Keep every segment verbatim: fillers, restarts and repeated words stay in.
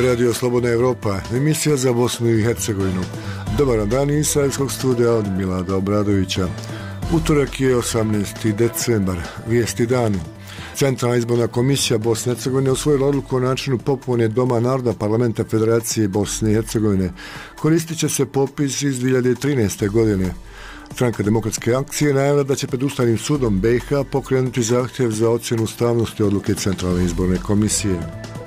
Radio Slobodna Evropa, emisija za Bosnu i Hercegovinu. Dobar dan iz Sarajevskog studija od Milada Obradovića. Utorak je osamnaesti decembar, vijesti danu. Centralna izborna komisija Bosne i Hercegovine usvojila odluku o načinu popune Doma naroda Parlamenta Federacije Bosne i Hercegovine. Koristit će se popis iz dvije hiljade trinaeste. godine. Stranka demokratske akcije najavila da će pred Ustavnim sudom B i H pokrenuti zahtjev za ocjenu ustavnosti odluke Centralne izborne komisije.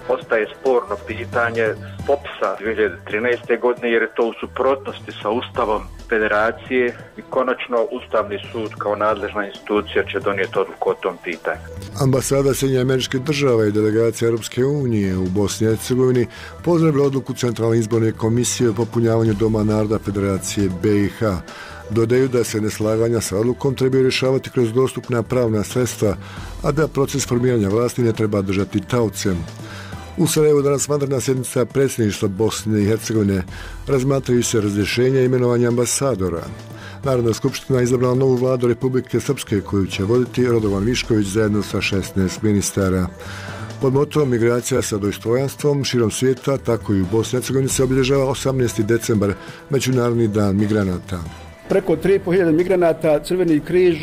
Ostaje sporno pitanje popisa dvije hiljade trinaeste. godine jer je to u suprotnosti sa Ustavom Federacije i konačno Ustavni sud kao nadležna institucija će donijeti odluku o tom pitanju. Ambasada Sjedinjenih Američkih Država i delegacija Europske unije u Bosni i Hercegovini pozdravila odluku Centralne izborne komisije o popunjavanju Doma naroda Federacije B i H. Dodaju da se neslaganja sa odlukom trebaju rješavati kroz dostupna pravna sredstva, a da proces formiranja vlasti ne treba držati taocem. U Sarajevu danas vanredna sjednica predsjedništva Bosne i Hercegovine, razmatraju se razrješenja i imenovanja ambasadora. Narodna skupština izabrala novu vladu Republike Srpske koju će voditi Radovan Višković zajedno sa šesnaest ministara. Pod motom migracija sa dostojanstvom širom svijeta, tako i u Bosni i Hercegovini se obilježava osamnaesti decembar, Međunarodni dan migranata. Preko tri i po hiljade migranata Crveni križ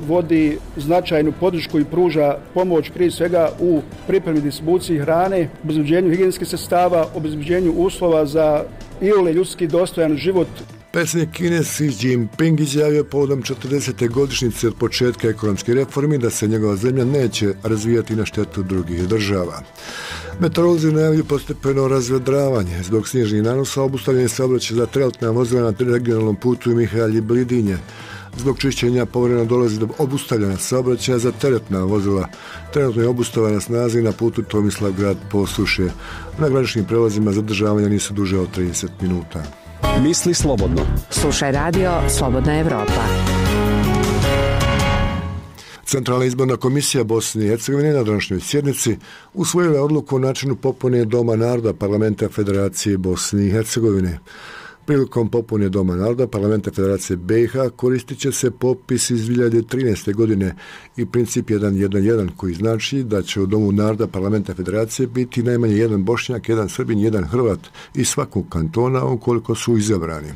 vodi značajnu podršku i pruža pomoć prije svega u pripremi distribuciji hrane, obezbeđenju higijenskih sredstava, obezbeđenju uslova za iole ljudski dostojan život. Predsjednik Kine Xi Jinping izjavio povodom četrdesete godišnjice od početka ekonomske reformi da se njegova zemlja neće razvijati na štetu drugih država. Meteorolozi najavljuju postepeno razvedravanje. Zbog snježnih nanosa obustavljen saobraćaj za teretna vozila na regionalnom putu Mihalji Blidinje. Zbog čišćenja povremeno dolazi do obustavljanja saobraćaja za teretna vozila. Trenutno je obustava na snazi na putu Tomislavgrad Posušje. Na graničnim prelazima zadržavanja nisu duže od trideset minuta. Misli slobodno. Slušaj radio Slobodna Evropa. Centralna izborna komisija Bosne i Hercegovine na današnjoj sjednici usvojila odluku o načinu popune Doma naroda Parlamenta Federacije Bosne i Hercegovine. Prilikom popune Doma naroda Parlamenta Federacije B i H koristit će se popis iz dvije hiljade trinaeste. godine i princip jedan jedan jedan koji znači da će u Domu naroda Parlamenta Federacije biti najmanje jedan Bošnjak, jedan Srbin, jedan Hrvat iz svakog kantona ukoliko su izabrani.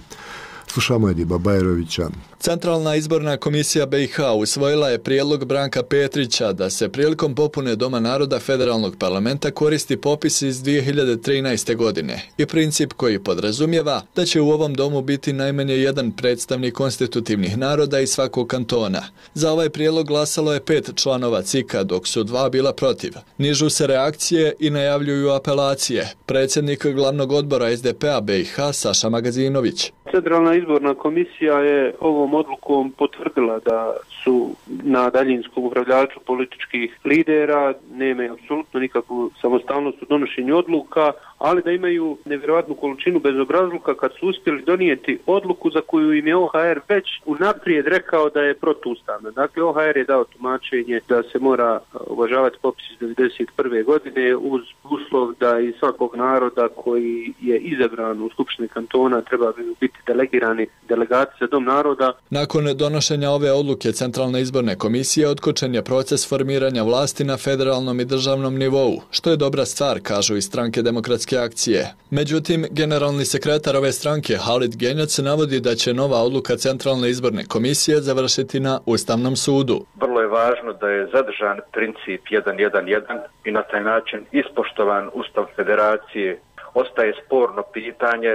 Slušamo Ediba Bajrovića. Centralna izborna komisija B i H usvojila je prijedlog Branka Petrića da se prilikom popune Doma naroda Federalnog parlamenta koristi popis iz dvije hiljade trinaeste. godine i princip koji podrazumijeva da će u ovom domu biti najmanje jedan predstavnik konstitutivnih naroda iz svakog kantona. Za ovaj prijedlog glasalo je pet članova C I K-a, dok su dva bila protiv. Nižu se reakcije i najavljuju apelacije. Predsjednik glavnog odbora S D P-a B i H Saša Magazinović. Centralna izborna komisija je ovom odlukom potvrdila da su na daljinskom upravljaču političkih lidera, nema apsolutno nikakvu samostalnost u donošenju odluka, ali da imaju nevjerojatnu količinu bezobrazluka kad su uspjeli donijeti odluku za koju im je O H R već unaprijed rekao da je protuustavna. Dakle, O H R je dao tumačenje da se mora uvažavati popis iz devedeset prve. godine uz uslov da iz svakog naroda koji je izabran u Skupštini kantona treba biti delegirani delegati za Dom naroda. Nakon donošenja ove odluke Centralne izborne komisije otkočen je proces formiranja vlasti na federalnom i državnom nivou, što je dobra stvar, kažu iz Stranke demokratske akcije. Međutim, generalni sekretar ove stranke Halid Genjac navodi da će nova odluka Centralne izborne komisije završiti na Ustavnom sudu. Vrlo je važno da je zadržan princip jedan jedan jedan i na taj način ispoštovan Ustav Federacije. Ostaje sporno pitanje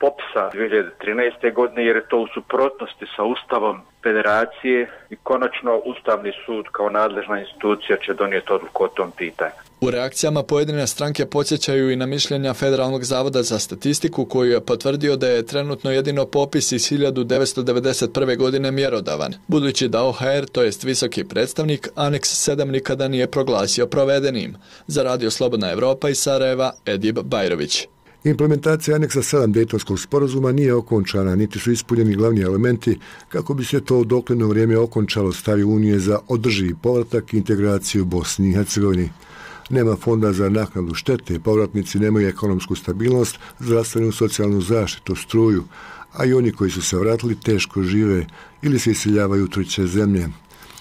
popisa dvije hiljade trinaeste. godine jer je to u suprotnosti sa Ustavom Federacije i konačno Ustavni sud kao nadležna institucija će donijeti odluku o tom pitanju. U reakcijama pojedine stranke podsjećaju i na mišljenja Federalnog zavoda za statistiku koji je potvrdio da je trenutno jedino popis iz hiljadu devetsto devedeset prve. godine mjerodavan, budući da O H R, to jest visoki predstavnik, aneks sedam nikada nije proglasio provedenim. Za Radio Slobodna Evropa iz Sarajeva, Edib Bajrović. Implementacija aneksa sedam Dejtonskog sporazuma nije okončana, niti su ispunjeni glavni elementi kako bi se to u dogledno vrijeme okončalo stavi Unije za održivi povratak i integraciju Bosni i Hercegovini. Nema fonda za naknadu štete, povratnici nemaju ekonomsku stabilnost, zdravstvenu socijalnu zaštitu, struju, a i oni koji su se vratili teško žive ili se iseljavaju u treće zemlje.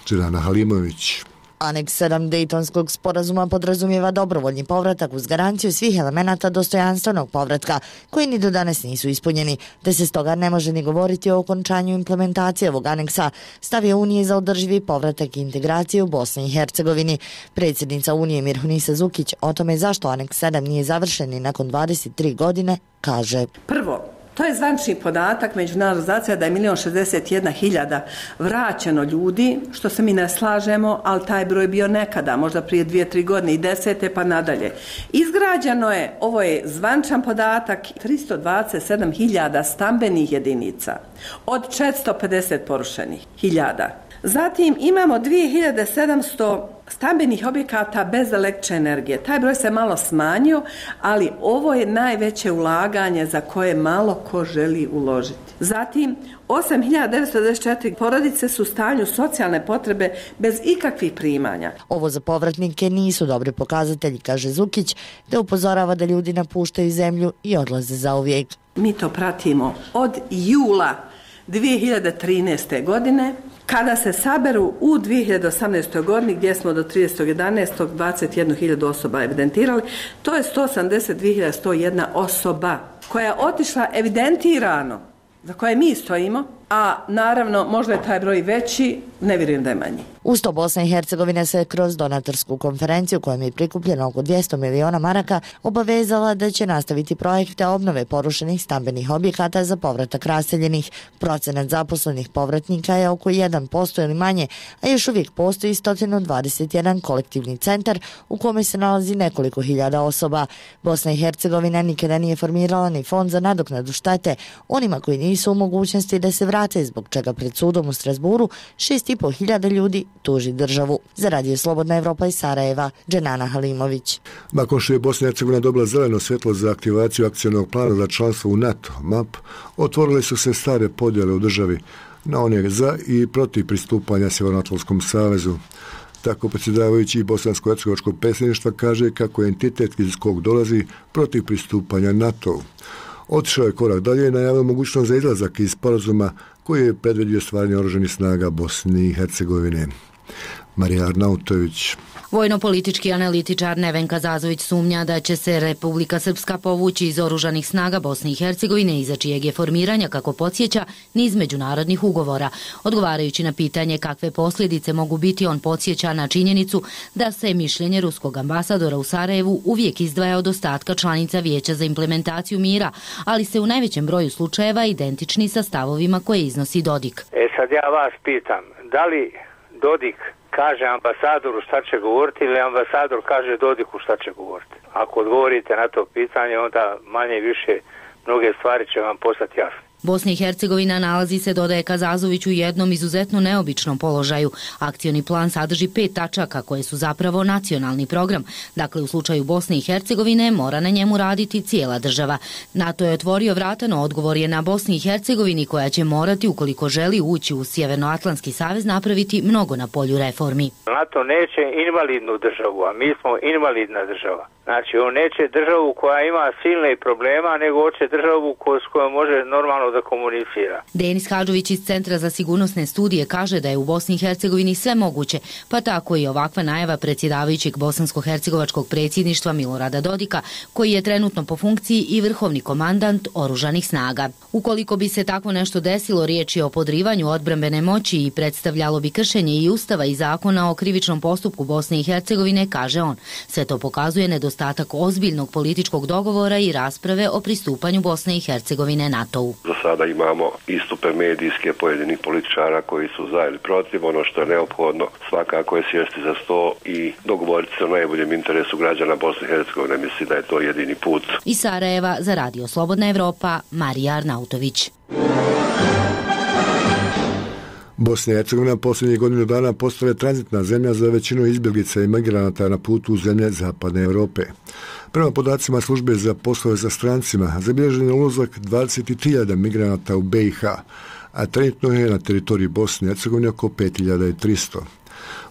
Dželana Halimović. Aneks sedam Dejtonskog sporazuma podrazumijeva dobrovoljni povratak uz garanciju svih elemenata dostojanstvenog povratka, koji ni do danas nisu ispunjeni, te se stoga ne može ni govoriti o okončanju implementacije ovog aneksa, stavio Unije za održivi povratak i integraciju u Bosni i Hercegovini. Predsjednica Unije Mirhunisa Zukić o tome zašto aneks sedam nije završen i nakon dvadeset tri godine kaže: Prvo, to je zvančni podatak međunarodna organizacija da je milion šezdeset jedna hiljada vraćeno ljudi, što se mi ne slažemo, ali taj broj bio nekada, možda prije dvije, tri godine i desete pa nadalje. Izgrađeno je, ovo je zvančan podatak, tristo dvadeset sedam hiljada stambenih jedinica od četiristo pedeset porušenih hiljada. Zatim imamo dvije hiljade sedamsto stambenih objekata bez električne energije. Taj broj se malo smanjio, ali ovo je najveće ulaganje za koje malo ko želi uložiti. Zatim, osam hiljada devetsto devedeset četiri porodice su u stanju socijalne potrebe bez ikakvih primanja. Ovo za povratnike nisu dobri pokazatelji, kaže Zukić, te upozorava da ljudi napuštaju zemlju i odlaze zauvijek. Mi to pratimo od jula dvije hiljade trinaeste. godine, kada se saberu u dvije hiljade osamnaestoj. godini, gdje smo do tridesetog jedanaestog dvadeset jednu hiljadu osoba evidentirali, to je sto osamdeset dvije hiljade sto jedna osoba koja je otišla evidentirano, za koje mi stojimo, a naravno možda je taj broj veći, ne vjerujem da je manji. Uz to Bosna i Hercegovina se kroz donatorsku konferenciju kojom je prikupljeno oko dvjesto miliona maraka obavezala da će nastaviti projekte obnove porušenih stambenih objekata za povratak raseljenih. Procenat zaposlenih povratnika je oko jedan posto ili manje, a još uvijek postoji sto dvadeset jedan kolektivni centar u kome se nalazi nekoliko hiljada osoba. Bosna i Hercegovina nikada nije formirala ni fond za nadoknadu štete onima koji nisu u mogućnosti da se vrate, zbog čega pred sudom u Strasburu šest i pol hiljada ljudi tuži državu. Za Radio Slobodna Evropa iz Sarajeva, Dženana Halimović. Nakon što je Bosna i Hercegovina dobila zeleno svjetlo za aktivaciju akcionog plana za članstvo u NATO, M A P, otvorile su se stare podjele u državi na one za i protiv pristupanja Sjevernoatlantskom savezu. Tako predsjedavajući bosansko-hercegovačkog predsjedništva kaže kako je entitet iz kog dolazi protiv pristupanja NATO-u. Otišao je korak dalje i najavio mogućnost za izlazak iz sporazuma koji je predvidio stvaranje oružanih snaga Bosne i Hercegovine. Marija Arnautović. Vojno-politički analitičar Nevenka Zazović sumnja da će se Republika Srpska povući iz oružanih snaga Bosne i Hercegovine, iza čijeg je formiranja, kako podsjeća, niz međunarodnih ugovora. Odgovarajući na pitanje kakve posljedice mogu biti, on podsjeća na činjenicu da se mišljenje ruskog ambasadora u Sarajevu uvijek izdvaja od ostatka članica Vijeća za implementaciju mira, ali se u najvećem broju slučajeva identični sa stavovima koje iznosi Dodik. E sad ja vas pitam, da li Dodik kaže ambasadoru šta će govoriti ili ambasador kaže Dodiku šta će govoriti? Ako odgovorite na to pitanje, onda manje više mnoge stvari će vam postati jasne. Bosna i Hercegovina nalazi se, dodaje Kazazović, u jednom izuzetno neobičnom položaju. Akcioni plan sadrži pet tačaka koje su zapravo nacionalni program. Dakle, u slučaju Bosne i Hercegovine mora na njemu raditi cijela država. NATO je otvorio vrata, no odgovor je na Bosni i Hercegovini, koja će morati, ukoliko želi ući u Sjevernoatlantski savez, napraviti mnogo na polju reformi. NATO neće invalidnu državu, a mi smo invalidna država. Znači, on neće državu koja ima silne problema, nego hoće državu s kojom može normalno da komunicira. Denis Hadžović iz Centra za sigurnosne studije kaže da je u Bosni i Hercegovini sve moguće, pa tako i ovakva najava predsjedavajućeg bosansko-hercegovačkog predsjedništva Milorada Dodika, koji je trenutno po funkciji i vrhovni komandant oružanih snaga. Ukoliko bi se tako nešto desilo, riječ je o podrivanju odbrambene moći i predstavljalo bi kršenje i Ustava i zakona o krivičnom postupku Bosne i Hercegovine, kaže on. Sve to pokazuje nedostatak ozbiljnog političkog dogovora i rasprave o pristupanju Bosne i Hercegovine NATO-u. Za sada imamo istupe medijske pojedinih političara koji su za ili protiv. Ono što je neophodno svakako je sjesti za sto i dogovoriti se o najboljem interesu građana Bosne i Hercegovine. Mislim da je to jedini put. Iz Sarajeva za Radio Slobodna Evropa, Marija Arnautović. Bosna i Hercegovina posljednjih godinu dana postala je tranzitna zemlja za većinu izbjeglica i migranata na putu u zemlje Zapadne Europe. Prema podacima službe za poslove za strancima, zabilježen je ulazak dvadeset tri hiljade migranata u B i H, a trenutno je na teritoriji Bosne i Hercegovine oko pet hiljada tristo.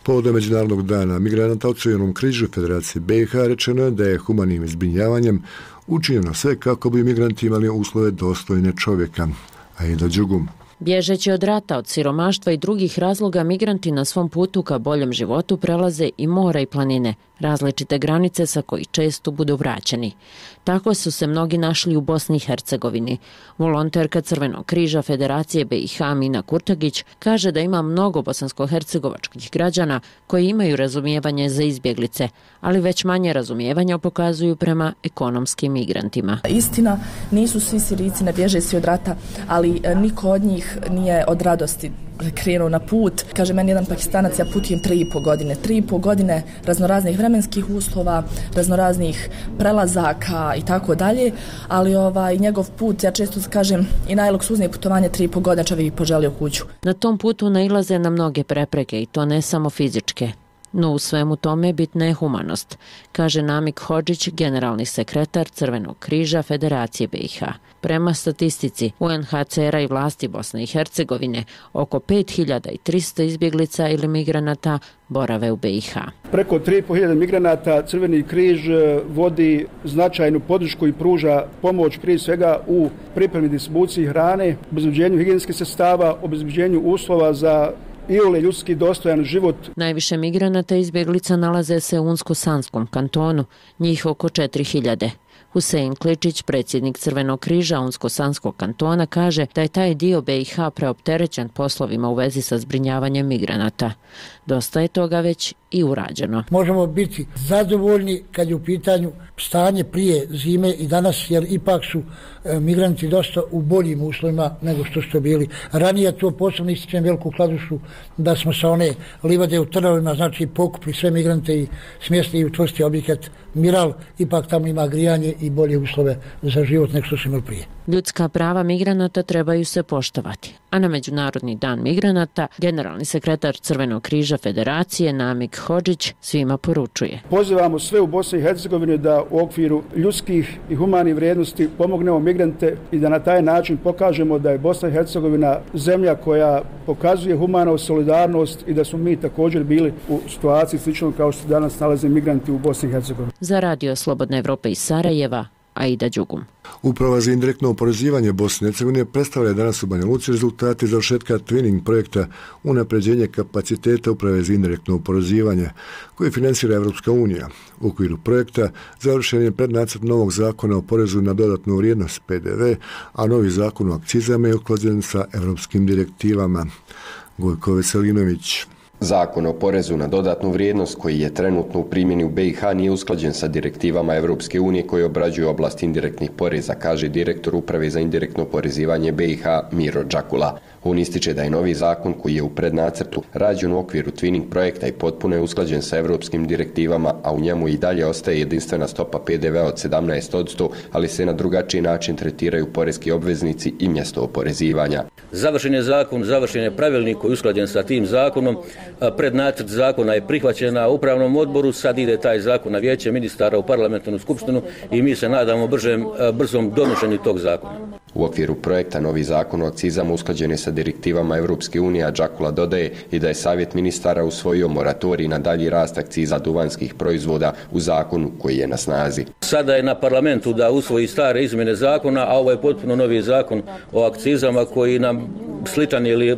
Povodom Međunarodnog dana migranata u Crvenom križu Federacije B i H rečeno je da je humanim zbrinjavanjem učinjeno sve kako bi migranti imali uslove dostojne čovjeka. A i da Đugum. Bježeći od rata, od siromaštva i drugih razloga, migranti na svom putu ka boljem životu prelaze i mora i planine, različite granice sa kojih često budu vraćeni. Tako su se mnogi našli u Bosni i Hercegovini. Volonterka Crvenog križa Federacije B i H Mina Kurtagić kaže da ima mnogo bosansko-hercegovačkih građana koji imaju razumijevanje za izbjeglice, ali već manje razumijevanja pokazuju prema ekonomskim migrantima. Istina, nisu svi Sirijci, ne bježe svi od rata, ali niko od njih nije od radosti krenuo na put. Kaže meni jedan Pakistanac, ja putujem tri i po godine. Tri i po godine raznoraznih vremenskih uslova, raznoraznih prelazaka i tako dalje, ali ovaj njegov put, ja često kažem, i najluksuznije putovanje tri i po godine čovjek poželio kuću. Na tom putu nailaze na mnoge prepreke i to ne samo fizičke. No u svemu tome bitna je humanost, kaže Namik Hodžić, generalni sekretar Crvenog križa Federacije B i H. Prema statistici U N H C R-a i vlasti Bosne i Hercegovine, oko pet hiljada tristo izbjeglica ili migranata borave u B i H. Preko tri i po hiljade migranata Crveni križ vodi značajnu podršku i pruža pomoć prije svega u pripremi distribuciji hrane, obezbeđenju higijenskih sredstava, obezbeđenju uslova za iole ljudski dostojan život. Najviše migranata i izbjeglica nalaze se u Unsko-Sanskom kantonu, njih oko četiri hiljade. Husein Kličić, predsjednik Crvenog križa Unsko-Sanskog kantona, kaže da je taj dio B i H preopterećen poslovima u vezi sa zbrinjavanjem migranata. Dosta je toga već i urađeno. Možemo biti zadovoljni kad je u pitanju stanje prije zime i danas, jer ipak su e, migranti dosta u boljim uslovima nego što su bili. Ranije to posebno ističem Veliku Kladušu, da smo sa one livade u Trnovima, znači pokupli sve migrante i smjestili u čvrsti objekat Miral, ipak tamo ima grijanje i bolje uslove za život nego što su imali prije. Ljudska prava migranata trebaju se poštovati, a na Međunarodni dan migranata generalni sekretar Crvenog križa Federacije Namik Hodžić svima poručuje. Pozivamo sve u Bosni i Hercegovini da u okviru ljudskih i humanih vrijednosti pomognemo migrante i da na taj način pokažemo da je Bosna i Hercegovina zemlja koja pokazuje humanu solidarnost i da smo mi također bili u situaciji slično kao što danas nalaze migranti u Bosni i Hercegovini. Za Radio Slobodna Evropa iz Sarajeva, Aida Đugum. Uprava za indirektno oporezivanje Bosne i Hercegovine predstavlja danas u Banja Luci rezultate završetka twinning projekta unapređenje kapaciteta uprave za indirektno oporezivanje koje financira Evropska unija. U okviru projekta završen je prednacrt novog zakona o porezu na dodatnu vrijednost P D V, a novi zakon o akcizama je usklađen sa evropskim direktivama. Gojko Veselinović. Zakon o porezu na dodatnu vrijednost koji je trenutno u primjeni u B i H nije usklađen sa direktivama Evropske unije koje obrađuju oblast indirektnih poreza, kaže direktor uprave za indirektno oporezivanje B i H Miro Đakula. On ističe da je novi zakon koji je u prednacrtu rađen u okviru twinning projekta i potpuno je usklađen sa evropskim direktivama, a u njemu i dalje ostaje jedinstvena stopa P D V od sedamnaest posto, ali se na drugačiji način tretiraju poreski obveznici i mjesto oporezivanja. Završen je zakon, završen je pravilnik koji je usklađen sa tim zakonom. Prednacrt zakona je prihvaćen na upravnom odboru, sad ide taj zakon na vijeće ministara u parlamentarnu skupštinu i mi se nadamo bržem, brzom donošenju tog zakona. U okviru projekta novi zakon o akcizama usklađen je sa direktivama Evropske unije, a Đakula dodaje i da je Savjet ministara usvojio moratorij na dalji rast akciza duvanskih proizvoda u zakonu koji je na snazi. Sada je na parlamentu da usvoji stare izmjene zakona, a ovo je potpuno novi zakon o akcizama koji nam sličan ili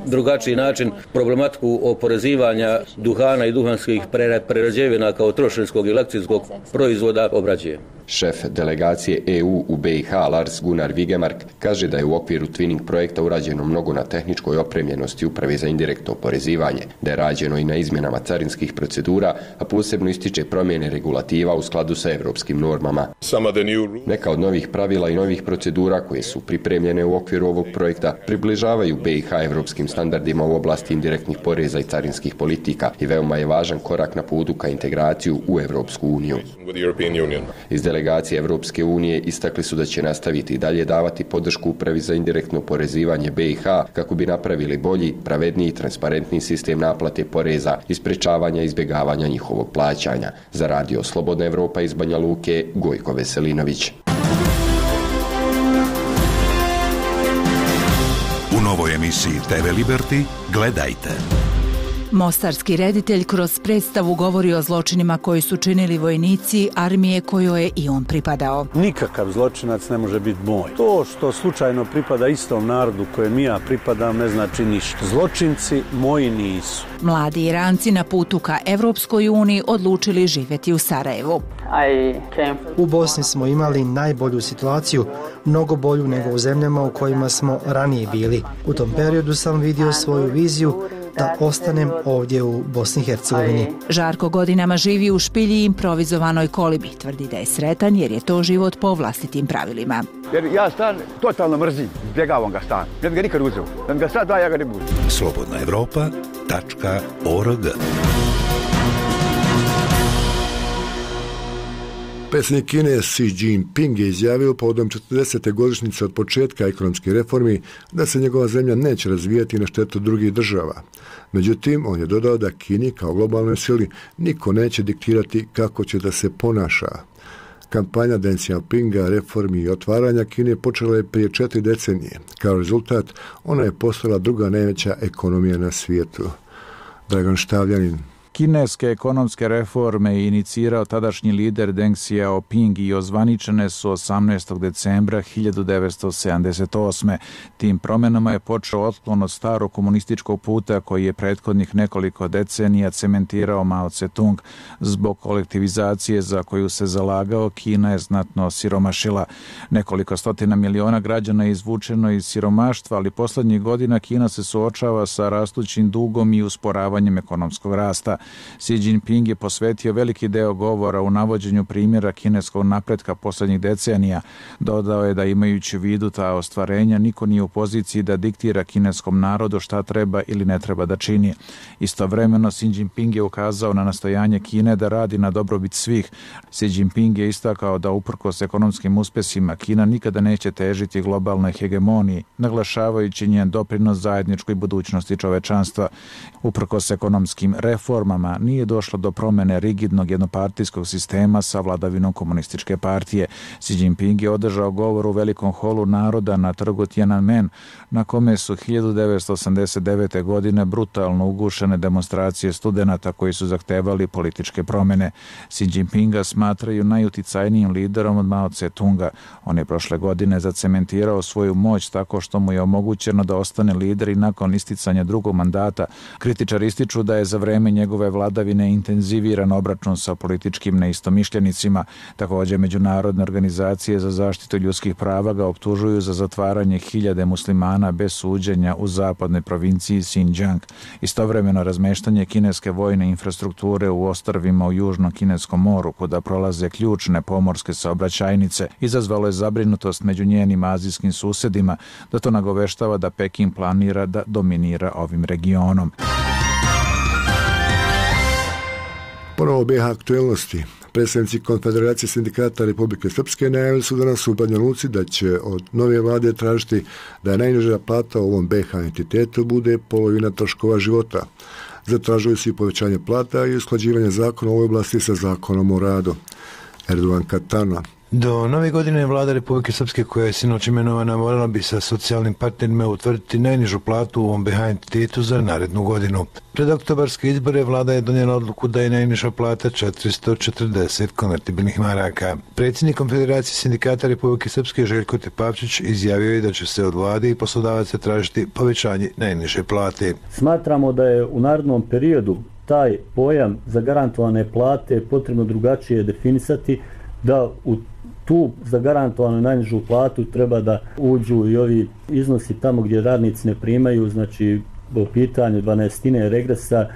drugačiji način problematiku oporezivanja duhana i duhanskih prerađevina kao trošarinskog ili akcijskog proizvoda obrađuje. Šef delegacije E U u B i H Lars Gunnar Vigemark kaže da je u okviru twinning projekta urađeno mnogo na tehničkoj opremljenosti uprave za indirektno oporezivanje, da je rađeno i na izmjenama carinskih procedura, a posebno ističe promjene regulativa u skladu sa evropskim normama. Neka od novih pravila i novih procedura koje su pripremljene u okviru ovog projekta približavaju B i H evropskim standardima u oblasti indirektnih poreza i carinskih politika i veoma je važan korak na putu ka integraciju u Evropsku uniju. Iz delegacije Evropske unije istakli su da će nastaviti i dalje davati podršku upravi za indirektno oporezivanje B i H kako bi napravili bolji, pravedniji i transparentni sistem naplate poreza i sprečavanja izbjegavanja njihovog plaćanja. Za Radio Slobodna Evropa iz Banja Luke, Gojko Veselinović. U novoj emisiji T V Liberty gledajte. Mostarski reditelj kroz predstavu govori o zločinima koji su činili vojnici armije kojoj je i on pripadao. Nikakav zločinac ne može biti moj. To što slučajno pripada istom narodu kojem ja pripadam ne znači ništa. Zločinci moji nisu. Mladi Iranci na putu ka Evropskoj uniji odlučili živjeti u Sarajevu. U Bosni smo imali najbolju situaciju, mnogo bolju nego u zemljama u kojima smo ranije bili. U tom periodu sam vidio svoju viziju da ostanem ovdje u Bosni i Hercegovini. Žarko godinama živi u špilji improvizovanoj kolibi. Tvrdi da je sretan jer je to život po vlastitim pravilima. Jer ja stan totalno mrzim, izbjegavam ga stan. Ne bi ga nikad uzeo. Da mi ga sad da, ja ga ne budu. slobodna evropa tačka org. Predsjednik Kine Xi Jinping je izjavio povodom četrdesete godišnjice od početka ekonomskih reformi da se njegova zemlja neće razvijati na štetu drugih država. Međutim, on je dodao da Kini kao globalnoj sili niko neće diktirati kako će da se ponaša. Kampanja Deng Xiaopinga, reformi i otvaranja Kine počela je prije četiri decenije. Kao rezultat, ona je postala druga najveća ekonomija na svijetu. Dragan Štavljanin. Kineske ekonomske reforme je inicirao tadašnji lider Deng Xiaoping i ozvaničene su osamnaestog decembra hiljadu devetsto sedamdeset osme. Tim promjenama je počeo otklon od starog komunističkog puta koji je prethodnih nekoliko decenija cementirao Mao Tse-tung. Zbog kolektivizacije za koju se zalagao, Kina je znatno siromašila. Nekoliko stotina miliona građana je izvučeno iz siromaštva, ali poslednjih godina Kina se suočava sa rastućim dugom i usporavanjem ekonomskog rasta. Xi Jinping je posvetio veliki deo govora u navođenju primjera kineskog napretka posljednjih decenija. Dodao je da imajući u vidu ta ostvarenja, niko nije u poziciji da diktira kineskom narodu šta treba ili ne treba da čini. Istovremeno, Xi Jinping je ukazao na nastojanje Kine da radi na dobrobit svih. Xi Jinping je istakao da uprkos ekonomskim uspjesima Kina nikada neće težiti globalnoj hegemoniji, naglašavajući njen doprinos zajedničkoj budućnosti čovečanstva. Uprkos ekonomskim reformama nije došlo do promjene rigidnog jednopartijskog sistema sa vladavinom komunističke partije. Xi Jinping je održao govor u velikom holu naroda na trgu Tiananmen, na kome su hiljadu devetsto osamdeset devete. godine brutalno ugušene demonstracije studenata koji su zahtevali političke promjene. Xi Jinpinga smatraju najuticajnijim liderom od Mao Tse-tunga. On je prošle godine zacementirao svoju moć tako što mu je omogućeno da ostane lider i nakon isticanja drugog mandata. Kritičari ističu da je za vreme njegove vladavine intenziviran obračun sa političkim neistomišljenicima. Također, međunarodne organizacije za zaštitu ljudskih prava ga optužuju za zatvaranje hiljade muslimana bez suđenja u zapadnoj provinciji Xinjiang. Istovremeno, razmeštanje kineske vojne infrastrukture u ostrvima u Južnom Kineskom moru, kuda prolaze ključne pomorske saobraćajnice, izazvalo je zabrinutost među njenim azijskim susedima, da to nagoveštava da Peking planira da dominira ovim regionom. Ponovo B iH aktuelnosti. Predstavnici Konfederacije sindikata Republike Srpske najavili su danas u Banja Luci da će od nove vlade tražiti da najniža plata u ovom B iH entitetu bude polovina troškova života. Zatražuju se i povećanje plata i usklađivanje zakona u ovoj oblasti sa zakonom o radu. Erdogan Katana. Do nove godine vlada Republike Srpske, koja je sinoć imenovana, morala bi sa socijalnim partnerima utvrditi najnižu platu u ovom B iH entitetu za narednu godinu. Pred oktobarske izbore vlada je donijela odluku da je najniža plata četiristo četrdeset konvertibilnih maraka. Predsjednik Konfederacije sindikata Republike Srpske Željko Tepavčić izjavio je da će se od vlade i poslodavaca tražiti povećanje najniže plate. Smatramo da je u narednom periodu taj pojam zagarantovane plate potrebno drugačije definisati, da u tu zagarantovanu najnižu platu treba da uđu i ovi iznosi tamo gdje radnici ne primaju, znači u pitanju dvanaestine regresa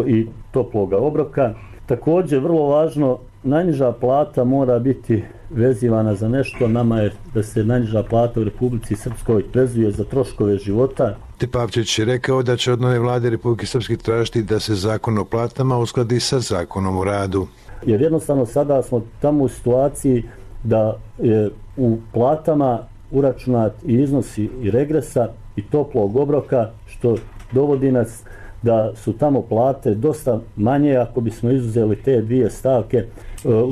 i toploga obroka. Također, vrlo važno, najniža plata mora biti vezivana za nešto. Nama je da se najniža plata u Republici Srpskoj vezuje za troškove života. Tepavčić je rekao da će od nove vlade Republike Srpske tražiti da se zakon o platama uskladi sa zakonom o radu. Jer jednostavno sada smo tamo u situaciji da je u platama uračunat i iznosi i regresa i toplog obroka, što dovodi nas da su tamo plate dosta manje ako bismo izuzeli te dvije stavke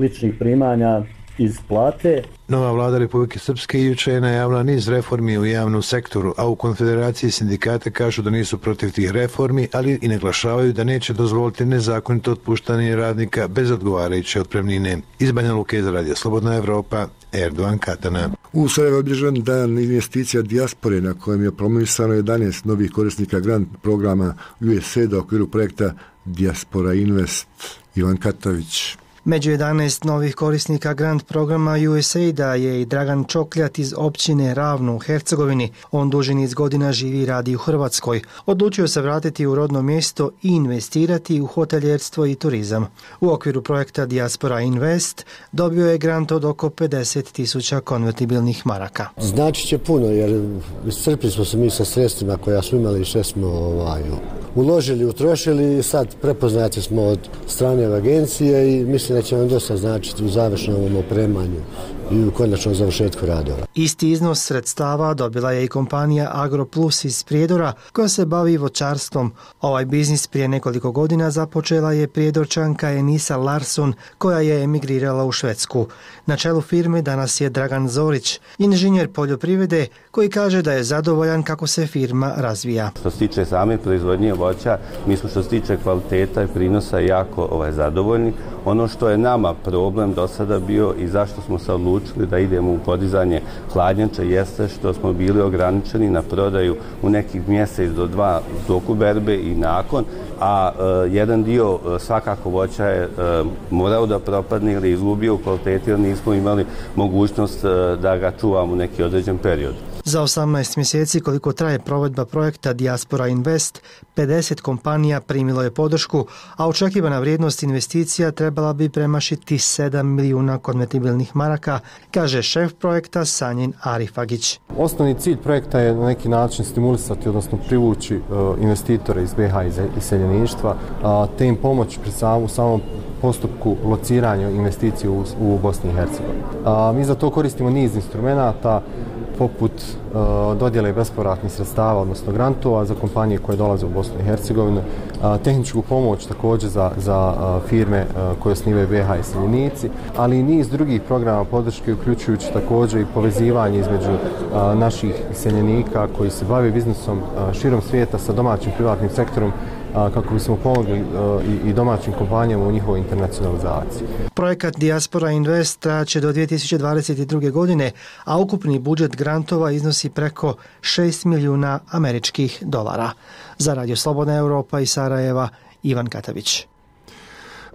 ličnih primanja iz plate. Nova vlada Republike Srpske juče je najavila niz reformi u javnom sektoru, a u Konfederaciji sindikata kažu da nisu protiv tih reformi, ali i naglašavaju da neće dozvoliti nezakonito otpuštanje radnika bez odgovarajuće otpremnine. Iz Banja Luke za Radio Slobodna Evropa, Erdogan Katana. U Sarajevu je obilježen dan investicija dijaspore na kojem je promovisano jedanaest novih korisnika grant programa U S A I D u okviru projekta Diaspora Invest. Ivan Katavić. Među jedanaest novih korisnika grant programa U S A I D-a je i Dragan Čokljat iz općine Ravno u Hercegovini. On duži niz godina živi i radi u Hrvatskoj. Odlučio se vratiti u rodno mjesto i investirati u hoteljerstvo i turizam. U okviru projekta Diaspora Invest dobio je grant od oko pedeset tisuća konvertibilnih maraka. Znači će puno jer iscrpili smo se mi sa sredstvima koja smo imali i sve smo ovaj, uložili, utrošili i sad prepoznati smo od strane agencije i mislim da će vam dosta značiti u završnom opremanju i u konačnom završetku radova. Isti iznos sredstava dobila je i kompanija AgroPlus iz Prijedora koja se bavi voćarstvom. Ovaj biznis prije nekoliko godina započela je Prijedorčanka Enisa Larsson koja je emigrirala u Švedsku. Na čelu firme danas je Dragan Zorić, inženjer poljoprivrede koji kaže da je zadovoljan kako se firma razvija. Što se tiče same proizvodnje voća, mi smo što se tiče kvaliteta i prinosa jako ovaj, zadovoljni. Ono što je nama problem do sada bio i zašto smo se odlučili da idemo u podizanje hladnjača jeste što smo bili ograničeni na prodaju u nekih mjesec do dva toku berbe i nakon, a e, jedan dio e, svakako voća je e, morao da propadne ili izgubio u kvaliteti jer nismo imali mogućnost e, da ga čuvamo u neki određen period. Za osamnaest mjeseci koliko traje provedba projekta Diaspora Invest, pedeset kompanija primilo je podršku, a očekivana vrijednost investicija trebala bi premašiti sedam milijuna konvertibilnih maraka, kaže šef projekta Sanjin Arifagić. Osnovni cilj projekta je na neki način stimulisati, odnosno privući uh, investitore iz B iH i iseljeništva, uh, te im pomoći pri sam, u samom postupku lociranja investicije u, u Bosni i Hercegovini. Uh, mi za to koristimo niz instrumenata, poput uh, dodjele bespovratnih sredstava, odnosno grantova za kompanije koje dolaze u Bosnu i Hercegovinu, uh, tehničku pomoć također za, za uh, firme uh, koje osnivaju B iH iseljenici, ali i niz drugih programa podrške, uključujući također i povezivanje između uh, naših iseljenika koji se bave biznisom uh, širom svijeta sa domaćim privatnim sektorom, kako bismo pomogli i domaćim kompanijama u njihovoj internacionalizaciji. Projekat Diaspora Invest traće do dvije tisuće dvadeset druge. godine, a ukupni budžet grantova iznosi preko šest milijuna američkih dolara. Za Radio Slobodna Evropa iz Sarajeva, Ivan Katavić.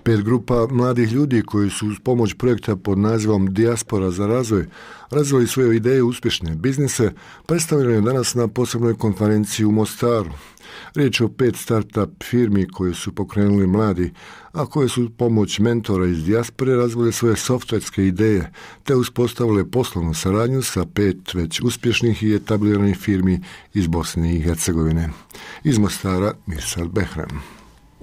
Pet grupa mladih ljudi koji su uz pomoć projekta pod nazivom Diaspora za razvoj razvili svoje ideje uspješne biznise, predstavljeno je danas na posebnoj konferenciji u Mostaru. Riječ je o pet start-up firmi koje su pokrenuli mladi, a koje su pomoć mentora iz dijaspore razvile svoje softverske ideje, te uspostavile poslovnu saradnju sa pet već uspješnih i etabliranih firmi iz Bosne i Hercegovine. Iz Mostara, Mirsad Behrem.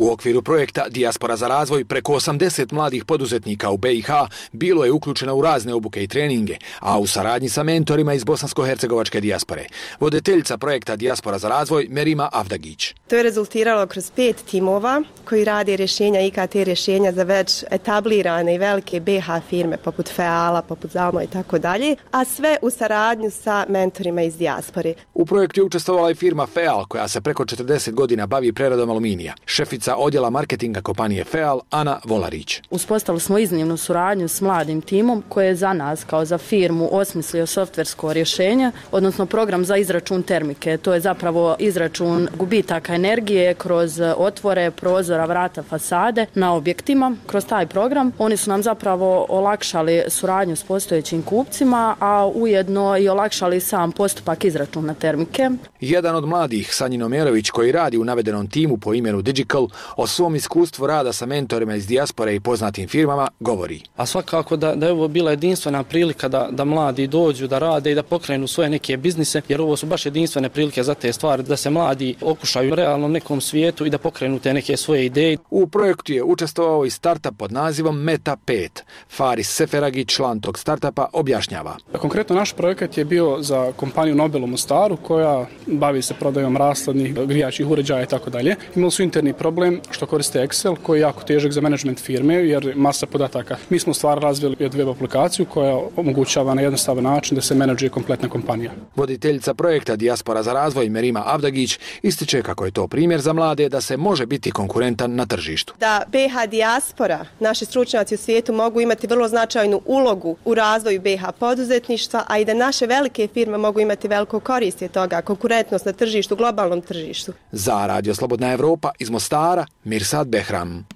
U okviru projekta Diaspora za razvoj preko osamdeset mladih poduzetnika u B iH bilo je uključeno u razne obuke i treninge, a u saradnji sa mentorima iz bosansko-hercegovačke dijaspore. Voditeljica projekta Diaspora za razvoj Merima Avdagić. To je rezultiralo kroz pet timova koji rade rješenja I K T rješenja za već etablirane i velike B iH firme poput Feala, poput Zalmo i tako dalje, a sve u saradnju sa mentorima iz dijaspore. U projektu je učestvovala i firma Feal koja se preko četrdeset godina bavi preradom aluminija. Šefica odjela marketinga kompanije Feal, Ana Volarić. Uspostavili smo iznimnu suradnju s mladim timom koji je za nas kao za firmu osmislio softversko rješenje, odnosno program za izračun termike. To je zapravo izračun gubitaka energije kroz otvore, prozora, vrata, fasade na objektima. Kroz taj program oni su nam zapravo olakšali suradnju s postojećim kupcima, a ujedno i olakšali sam postupak izračuna termike. Jedan od mladih, Sanjin Omerović, koji radi u navedenom timu po imenu Digital, o svom iskustvu rada sa mentorima iz dijaspore i poznatim firmama govori. A svakako da, da je ovo bila jedinstvena prilika da, da mladi dođu, da rade i da pokrenu svoje neke biznise, jer ovo su baš jedinstvene prilike za te stvari, da se mladi okušaju realno nekom svijetu i da pokrenu te neke svoje ideje. U projektu je učestvovao i startup pod nazivom Meta pet. Faris Seferagić, član tog startupa, objašnjava. Konkretno naš projekat je bio za kompaniju Nobel u Mostaru koja bavi se prodajom rashladnih grijačih uređaja i tako dalje. Imali su interni problem što koriste Excel koji je jako težak za menadžment firme jer masa podataka. Mi smo u stvari razvili web aplikaciju koja omogućava na jednostavan način da se menadžuje kompletna kompanija. Voditeljica projekta Dijaspora za razvoj Merima Avdagić ističe kako je to primjer za mlade da se može biti konkurentan na tržištu. Da B H Dijaspora, naši stručnjaci u svijetu mogu imati vrlo značajnu ulogu u razvoju B H poduzetništva, a i da naše velike firme mogu imati veliku korist od toga, konkurentnost na tržištu, globalnom tržištu. Za Radio Slobodna Evropa iz Mostara, Mirsad Behram.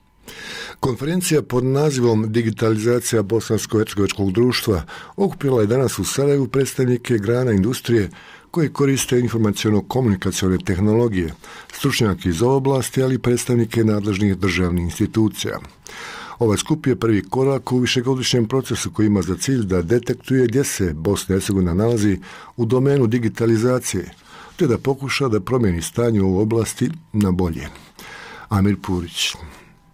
Konferencija pod nazivom Digitalizacija bosansko-hercegovačkog društva okupila je danas u Sarajevu predstavnike grana industrije koji koriste informaciono-komunikacione tehnologije, stručnjaki iz oblasti, ali i predstavnike nadležnih državnih institucija. Ovaj skup je prvi korak u višegodišnjem procesu koji ima za cilj da detektuje gdje se Bosna i Hercegovina nalazi u domenu digitalizacije, te da pokuša da promijeni stanje u oblasti na bolje. Amir Purić.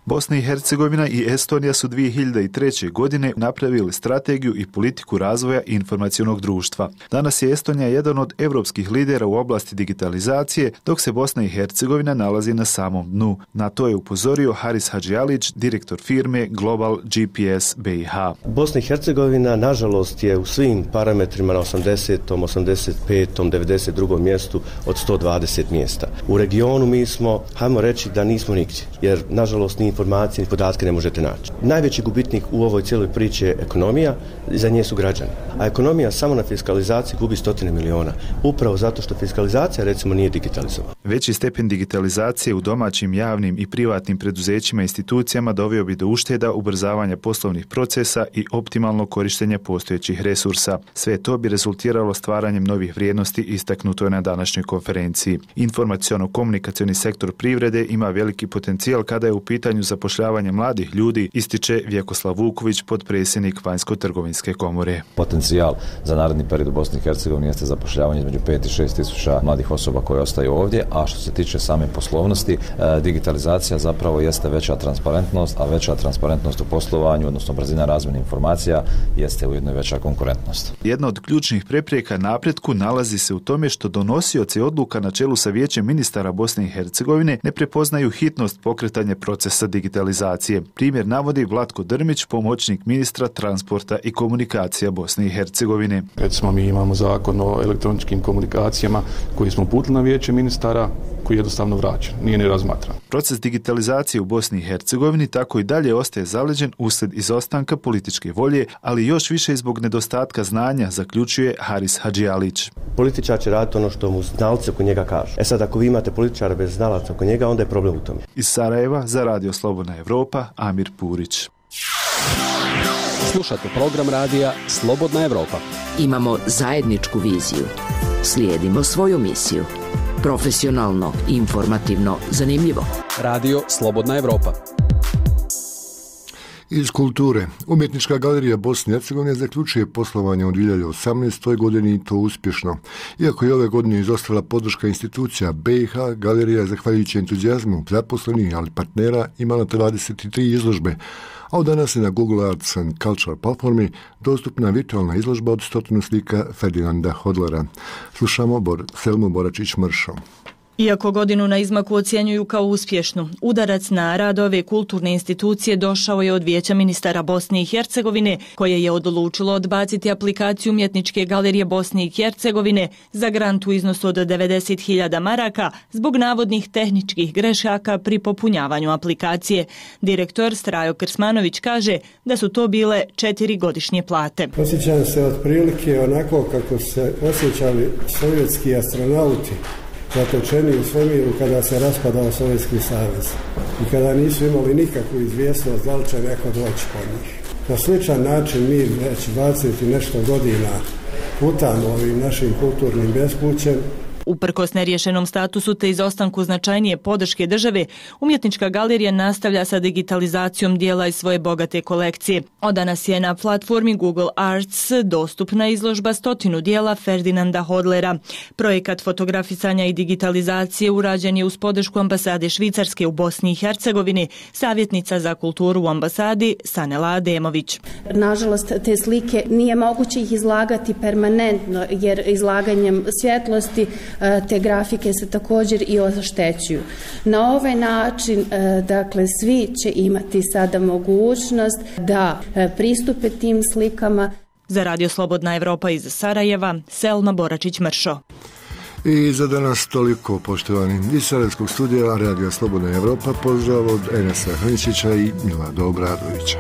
Bosna i Hercegovina i Estonija su dvije hiljade treće. godine napravili strategiju i politiku razvoja informacionog društva. Danas je Estonija jedan od evropskih lidera u oblasti digitalizacije, dok se Bosna i Hercegovina nalazi na samom dnu. Na to je upozorio Haris Hadžialić, direktor firme Global G P S B i H. Bosna i Hercegovina, nažalost, je u svim parametrima na osamdesetom, osamdeset petom, devedeset drugom mjestu od sto dvadeset mjesta. U regionu mi smo, hajmo reći da nismo nigdje, jer nažalost ni informacije ni podatke ne možete naći. Najveći gubitnik u ovoj cijeloj priči je ekonomija, za nje su građani. A ekonomija samo na fiskalizaciji gubi stotine miliona. Upravo zato što fiskalizacija recimo nije digitalizovana. Veći stepen digitalizacije u domaćim, javnim i privatnim preduzećima i institucijama doveo bi do ušteda, ubrzavanja poslovnih procesa i optimalnog korištenja postojećih resursa. Sve to bi rezultiralo stvaranjem novih vrijednosti, istaknuto je na današnjoj konferenciji. Informaciono-komunikacioni sektor privrede ima veliki potencijal kada je u pitanju zapošljavanje mladih ljudi, ističe Vjekoslav Vuković, potpredsjednik Vanjsko-trgovinske komore. Potencijal za naredni period u Bosni i Hercegovini jeste zapošljavanje između pet i šest tisuća mladih osoba koje ostaju ovdje, a što se tiče same poslovnosti, digitalizacija zapravo jeste veća transparentnost, a veća transparentnost u poslovanju, odnosno brzina razmjene informacija, jeste ujedno veća konkurentnost. Jedna od ključnih prepreka napretku nalazi se u tome što donosioci odluka na čelu sa Vijećem ministara Bosne i Hercegovine ne prepoznaju hitnost pokretanja procesa digitalizacije. Primjer navodi Vlatko Drmić, pomoćnik ministra transporta i komunikacija Bosne i Hercegovine. Recimo, mi imamo zakon o elektroničkim komunikacijama koji smo uputili na Vijeće ministara, koji je jednostavno vraćen, nije ni razmatran. Proces digitalizacije u Bosni i Hercegovini tako i dalje ostaje zaleđen uslijed izostanka političke volje, ali još više zbog nedostatka znanja, zaključuje Haris Hadžialić. Političar će raditi ono što mu znalci oko njega kažu. E sad, ako vi imate političara bez znalaca oko njega, onda je problem u tome. Iz Sarajeva za Radio Slobodna Evropa, Amir Purić. Slušate program radija Slobodna Evropa. Imamo zajedničku viziju. Slijedimo svoju misiju. Profesionalno, informativno, zanimljivo. Radio Slobodna Evropa. Iz kulture. Umjetnička galerija Bosne i Hercegovine zaključuje poslovanje u dvije hiljade osamnaestoj. godini i to uspješno. Iako je ove godine izostala podrška institucija B i H, galerija je zahvaljujući entuzijazmu zaposlenih, ali partnera, imala dvadeset tri izložbe, a od danas je na Google Arts and Culture platformi dostupna virtualna izložba od stotinu slika Ferdinanda Hodlera. Slušamo Bor, Selmu Boračić-Mršo. Iako godinu na izmaku ocjenjuju kao uspješnu, udarac na rad ove kulturne institucije došao je od Vijeća ministara Bosne i Hercegovine, koje je odlučilo odbaciti aplikaciju Umjetničke galerije Bosne i Hercegovine za grant u iznosu od devedeset hiljada maraka zbog navodnih tehničkih grešaka pri popunjavanju aplikacije. Direktor Strajo Krsmanović kaže da su to bile četiri godišnje plate. Osjećam se otprilike onako kako se osjećali sovjetski astronauti zatočeni u svemiru kada se raspadao Sovjetski savez i kada nisu imali nikakvu izvjesnost da li će neko doći po njih. Na sličan način mi već dvadeset i nešto godina putamo ovim našim kulturnim bespućem Uprkos neriješenom statusu te izostanku značajnije podrške države, umjetnička galerija nastavlja sa digitalizacijom dijela iz svoje bogate kolekcije. Od danas je na platformi Google Arts dostupna izložba stotinu dijela Ferdinanda Hodlera. Projekat fotografisanja i digitalizacije urađen je uz podršku ambasade Švicarske u Bosni i Hercegovini, savjetnica za kulturu u ambasadi Sanela Ademović. Nažalost, te slike nije moguće ih izlagati permanentno, jer izlaganjem svjetlosti te grafike se također i oštećuju. Na ovaj način, dakle, svi će imati sada mogućnost da pristupe tim slikama. Za Radio Slobodna Evropa iz Sarajeva, Selma Boračić-Mršo. I za danas toliko, poštovani. Iz Sarajevskog studija Radio Slobodna Evropa pozdrav od Enesa Hrničića i Milada Obradovića.